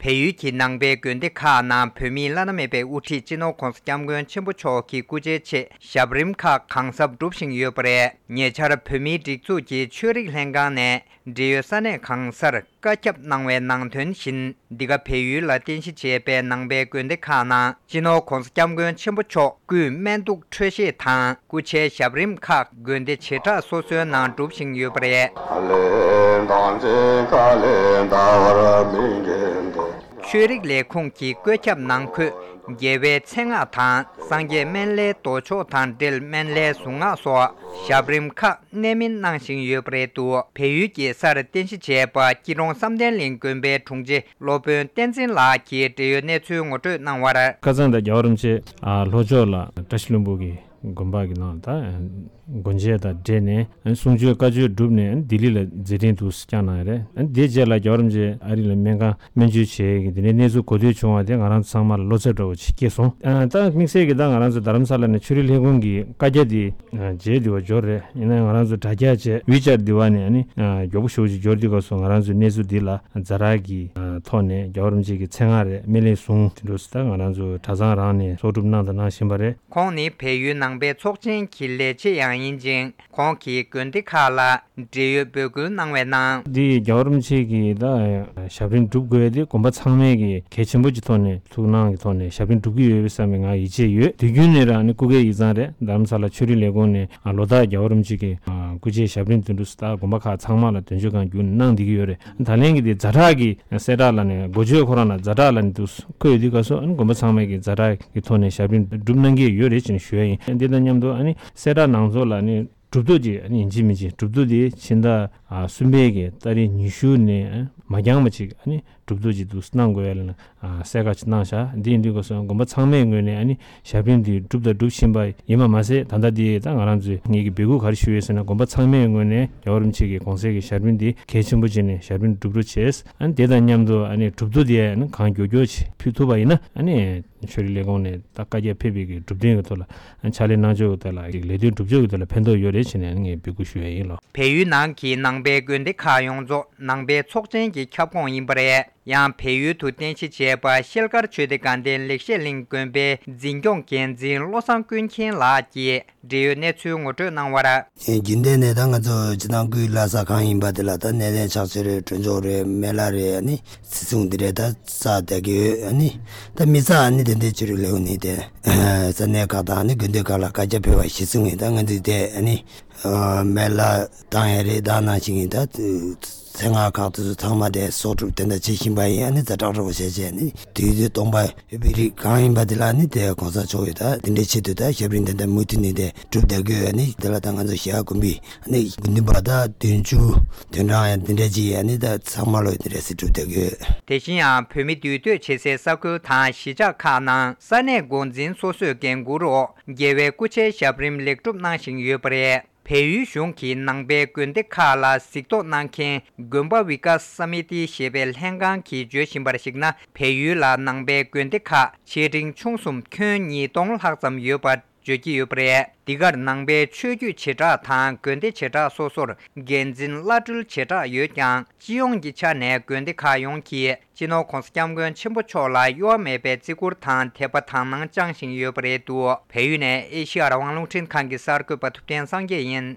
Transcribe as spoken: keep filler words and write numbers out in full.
བལ་ཡུལ་གྱི་ནང་པའི་དགོན་སྡེ་ཁག་ནང་བོད་མིའི་བླ་ན་མེད་པའི་དབུ་ཁྲིད་སྤྱི་ནོར་༧གོང་ས་༧སྐྱབས་མགོན་ཆེན་པོ་མཆོག་གི་སྐུ་ཕྱྭའི་ཆེད་ཞབས་རིམ་ཁག་གང་ཟབ་སྒྲུབ་བཞིན་ཡོད་པ་རེད། ཉེ་ཆར་བོད་མིའི་སྒྲིག་འཛུགས་ཀྱི་ཆོས་རིག་ལྷན་ཁང་ནས་འབྲེལ་ཡོད་ས་གནས་གང་སར་བཀའ་ཁྱབ་གནང་བའི་ནང་དོན་བཞིན། འདི་ག་བལ་ཡུལ་ལ་རྟེན་གཞི་བྱས་པའི་ནང་པའི་དགོན་སྡེ་ཁག་ནང་སྤྱི་ནོར་༧གོང་ས་༧སྐྱབས་མགོན་ཆེན་པོ་མཆོག་སྐུའི་སྨན་གདུགས་འཕྲོད་བཞེས་དང་སྐུ་ཕྱྭའི་ཞབས་རིམ་ཁག་དགོན་སྡེ་བྱེ་བྲག་སོ་སོའི་ནང་སྒྲུབ་བཞིན་ཡོད་པ་རེད། ཆོས་རིག་ལས་ཁུངས་ཀྱི་བཀོད་ཁྱབ་ནང་འཁོད་རྒྱལ་བའི་མཚན་སྔགས་དང་སངས་རྒྱས་སྨན་བླའི་མདོ་ཆོག་དང་འབྲེལ་སྨན་བླའི་གཟུངས་སྔགས་སོགས་ཞབས་རིམ་ཁག་གནད་སྨིན་གནང་བཞིན་ཡོད་པ་རེད་འདུག་བལ་ཡུལ་གྱི་སར་རྟེན་གཞི་བྱས་པ་སྐྱིད་གྲོང་བསམ་གཏན་གླིང་དགོན་པའི་དྲུང་ཆེ་སློབ་དཔོན་བསྟན་འཛིན་ལགས་ཀྱིས་འབྲེལ་ཡོད་གནས་ཚུལ་ངོ་སྤྲོད་གནང་བར། ཁ་སང་དང་རྒྱལ་བ་རིན་པོ་ཆེ་ཨ་ལྷོ་ཕྱོགས་ལ་བཀྲ་ཤིས་ལྷུན་པོ་གི་དགོན་པ་གི་ནང་ད་སྒོ་འབྱེད་དང་འབྲེལ་ནས་གསུང་ཆོས་བཀའ་ཆོས་བསྒྲུབས་ནས་ལྡི་ལི་ལ་མཛད་འཕྲིན་དུ་བསྐྱངས་གནང་ཡོད་རེད། དེ་རྗེས་ལ་རྒྱལ་བ་རིན་པོ་ཆེ་ཨ་རི་ལ་སྨན་ཁང་སྨན་བཅོས་བྱས་ཀྱི་དེ་ནས་གནས་ཚུལ་གོ་ཐོས་བྱུང་བ་དེ་ང་རང་ཚོ་ཚང་མ་ལ་བློ་འཚབ་འདྲ་བོ་ཅིག་སྐྱེས་སོང་། ད་དམིགས་བསལ་གྱི་ད་ང་རང་ཚོ་རྡ་རམ་ས་ལ་ནས་ཆོས་རིག་ལས་ཁུངས་ཀྱི་བཀའ་རྒྱ་དེ་རྗེས་འདི་བ་འབྱོར་རེད། ཡིན་ན་ང་རང་ཚོ་དྲ་རྒྱ་བྱས་ཝི་ཅར་འདི་བ་ནས་ནི་མགྱོགས་པོ་ཞེ་པོ་ཅིག་འབྱོར་དུས་སྐབས་སུ་ང་རང་ཚོའི་གནས་ཚུལ་འདི་ལ་ཛ་དྲག་གི་ཐོག་ནས་རྒྱལ་བ་རིན་པོ་ཆེ་གི་མཚན་སྔགས་རེད། སྨན་བླའི་གཟུངས་དེ་འདྲ་སུ་ད་ང་རང་ཚོ་གྲྭ་ཚང་རང་ནས་གསོག་སྒྲུབ་གནང་དང་གནང་བཞིན་པ་རེད། ཁོང་ནི་བལ་ཡུལ་ནང་པའི་ཚོགས་ཆེན་གྱི་ལས་བྱེད་ཡང་ཡིན་ཅིང་། ཁོང་གིས་དགོན་སྡེ་ཁག་ལ་འབྲེལ་ཡོད་འབོད་སྐུལ་གནང་བའི་ནང་། འདི་རྒྱལ་བ་རིན་པོ་ཆེ་གིས་ད་ཞབས་རིམ་སྒྲུབ་དགོས་ཡ་དེ་དགོན་པ་ཚང་མས་ཀྱི་གལ་ཆེན་པོ་གྱི་ཐོག་ནས་ཐུགས་སྣང་གི་ཐོག་ནས་ཞབས་རིམ་སྒྲུབ་ཀྱི་ཡོད་པའི་བསམ་པའི་ང་ཡིད་ཆེས་ཡོད། དུས་རྒྱུན་ནས་རང་ནི་སྐུ་སྒེར་ཡིག་ཚང་རེད། རྡ་རམ་ས་ལ་ཆོས་རིག་ལས་ཁུངས་ནས་ལོ་ལྟར་རྒྱལ་བ་རིན་པོ་ཆེ་གི་སྐུ་ཕྱྭའི་ཞབས་རིམ་དེ་འདྲ་སུ་ད་དགོན་པ་ཁག་ཚང་མ་ལ་དོན་གཅོད་ཁང་བརྒྱུད་ནས་གནང་བསྡད་ཀྱི་ཡོད་རེད། ད་ལན་གྱི་དེ་ཛ་དྲག་གི་གསལ་བསྒྲགས་ལ་ནས་འགོ་བརྗོད་ཁོ་རང་ལ་ཛ་དྲག་ལ་ནས་འདུག་བཀོད་ཡོད་དུས་སྐབས་སུ་ཨ་ནི་དགོན་པ་ཚང་མས་ཀྱི་ཛ་དྲག་གི་ཐོག་ནས་ཞབས་རིམ་སྒྲུབ་གནང་གི་ཡོད་རེད་ཅེས་ཞུ་ཡ་ཡིན། འདི་དང་མཉམ་དུ་ཨ་ནི་གསལ་བསྒྲགས་ནང་ཚོགས་ལ་ནི་གྲུབ་ཐོབ་ཅིག་ཨ་ནི་ཡིན་གཅིག་མིན་གཅིག་གྲུབ་ཐོབ་དེ་ཕྱི་ཟླ་ཨ་གསུམ་པའི་གི་ཏ་རིག་ཉི་ཤུ་ནས་ཨ་མ་འགྱངས་པ་ཅིག་ཨ་ནི་གྲུབ་ཐོབ་ཅིག་འདུག་གནང་དགོས་ཡ་ལ་ཨ་གསལ་ཁ་ཅིག་གནང་བཞག་འདི་ཡིན་དུས་སྐབས་སུ་དགོན་པ་ཚང་མའི་ངོས་ནས་ཨ་ནི་ཞབས་རིམ་འདི་སྒྲུབ་དང་སྒྲུབ་བཞིན་པ་ཡིན་པ་མ་ཟད། ད་ལྟ་འདི་ད་ང་རང་ཚོས་ངེད་ཀྱི་འབོད་སྐུལ་ག་རེ་ཞུ་ཡོད་ཟེར་ན། དགོན་པ་ཚང་མའི་ངོས་ནས་རྒྱལ་བ་རིན་པོ་ཆེ་གི་དགོངས་གསལ་གྱི་ཞབས་རིམ་འདི་གལ་ཆེན་པོ་བྱས་ནས་ཞབས་རིམ་སྒྲུབ་རོགས་བྱས། ཨ་ནི་དེ་དང་མཉམ་དུ་ཨ་ནི་གྲུབ་ཐོབ་དེ་ཨ་ནི་གང་མགྱོགས་མགྱོགས་ཅིག་ཕུལ་ཐུབ་པ་ཡིན་ན་ཨ་ནི་ཆོས་རིག་ལས་ཁུངས་ནས་ད་བཀའ་རྒྱ་ཕེབས་པའི་གི་གྲུབ་དོན་གྱི་ཐོག་ལ་ཕྱག་ལས་གནང་ཕྱོགས་ཀྱི་ཐོག་ལ་ལས་དོན་སྒྲུབ་ཕྱོགས་ཀྱི་ཐོག་ལ་ཕན་ཐོགས་ཡོད་རེད་བྱས་ནས་ངས་འབོད་སྐུལ་ཞུ་ཡ་ཡིན་ལོ། བལ་ཡུལ་ནང་གི་ནང་པའི་དགོན་སྡེ་ཁག་ཡོངས་རྫོགས་ནང་པའི་ཚོགས་ཆེན་གྱི་ཁྱབ་ཁོངས་ཡིན་པ་རེད། ཡང་བལ་ཡུལ་དུ་རྟེན་གཞི་བྱས་པ་ཤེལ་དཀར་ཆོས་སྡེ་དགའ་ལྡན་ལེགས་བཤད་གླིང་དགོན་པའི་འཛིན་སྐྱོང་འགན་འཛིན་བློ་བཟང་ཀུན་མཁྱེན་ལགས་ཀྱིས་འབྲེལ་ཡོད་གནས་ཚུལ་ངོ་སྤྲོད་གནང་བར། རྒྱུན་ལྡན་ནས་ད་ང་ཚོ་སྤྱི་བཏང་སྐུའི་བླ་གཟའ་གང་ཡིན་པ་དེ་ལ་ད་སྣེ་ལེན་ཕྱག་མཆོད་རེད། གྲོས་ཚོགས་རེད། སྨན་བླ་རེད། ཨ་ནི་བྱིས་སྲུང་འདི་རེད། ད་ས་དེ་གི་ཨ་ནི་ད་མི་ས་ཨ་ནི་དེ་འདྲའི་ཆོས་རིག་ལས་ཁུངས་ནི་དེ་ས་གནས་ཁག་དང་ཨ་ནི་དགོན་སྡེ་ཁག་ལ་བཀའ་རྒྱ་ཕེབས་པ་གཞི་བཟུང་ཡིན། ད་ང་ཚོས་དེ་ཨ་ནི་སྨན་བླ་བཏང་ཡ་རེད། ད་ནང་བཞིན་ཡིན། ད་མཚན་སྔགས་ཁག་དེ་ཚོ་ཚང་མ་དེ་གསོག་སྒྲུབ་དེ་འདྲ་བྱེད་བཞིན་པ་ཡིན། ཨ་ནི་ཛ་དྲག་རོགས་བྱས་བྱས་ནི་དུས་དེ་སྟོང་པ་ཡོད་པའི་རིགས་གང་ཡིན་པ་དེ་ལ་ནི་དེ་གོང་ས་མཆོག་གིས་ད་དེ་འདྲའི་ཆེད་དུ་ད་ཞབས་རིམ་དེ་འདྲ་མུ་མཐུད་ནས་དེ་སྒྲུབ་བསྡད་དགོས། ཨ་ནི་དེ་ལ་ད་ང་ཚོ་ཞྭ་དགོན་པའི་ཨ་ནི་དགེ་འདུན་པ་ད་བདུན་ཅུ་དོན་གྲངས་ཡང་དེ་འདྲ་ཅིག་ཨ་ནི་ད་ཚང་མ་ལོ་དེ་འདྲ་སེ་སྒྲུབ་བསྡད་དགོས། དེ་བཞིན་ཡང་བོད་མི་འདུས་སྡོད་བྱེད་སའི་ས་ཁུལ་དང་གཞིས་ཆགས་ཁག་ནང་ས་གནས་འགོ་འཛིན་སོ་སོས་འགན་འཁུར་འོག་རྒྱལ་བའི་སྐུ་ཕྱྭའི་ཞབས་རིམ་ལེགས་གྲུབ་གནང་བཞིན་ཡོད་པ་རེད། བལ་ཡུལ་གཞུང་གིས་ནང་པའི་དགོན་སྡེ་ཁག་ལ་གཟིགས་རྟོག་གནང་མཁན་དགོན་པ་བི་ཀ་ས་མི་ཏི་ཞེས་པའི་ལྷན་ཁང་གིས་བརྗོད་བཞིན་པར་གཞིགས་ན། བལ་ཡུལ་ལ་ནང་པའི་དགོན་སྡེ་ཁག་ཆེ་འབྲིང་ཆུང་གསུམ་ཁྱོན་ཉིས་སྟོང་ལྷག་ཙམ་ཡོད་པ་བརྗོད་ཀྱི་ཡོད་པ་རེད། འདི་གར་ནང་པའི་ཆོས་བརྒྱུད་བྱེ་བྲག་དང་དགོན་སྡེ་བྱེ་བྲག་སོ་སོར་འགན་འཛིན་བླ་སྤྲུལ་བྱེ་བྲག་ཡོད་ཀྱང་། སྤྱི་ཡོངས་ཀྱི་ཆ་ནས་དགོན་སྡེ་ཁག་ཡོངས་ཀྱིས་སྤྱི་ནོར་༧གོང་ས་༧སྐྱབས་མགོན་ཆེན་པོ་མཆོག་ལ་གཡོ་བ་མེད་པའི་བརྩི་བཀུར་དང་དད་པ་དག་སྣང་བཅངས་བཞིན་ཡོད་པ་རེད་འདུག་བལ་ཡུལ་ནས་ཨེ་ཤེ་ཡ་རང་དབང་རླུང་འཕྲིན་ཁང་གི་གསར་འགོད་པ་ཐུབ་བསྟན་སངས་རྒྱས་ཡིན།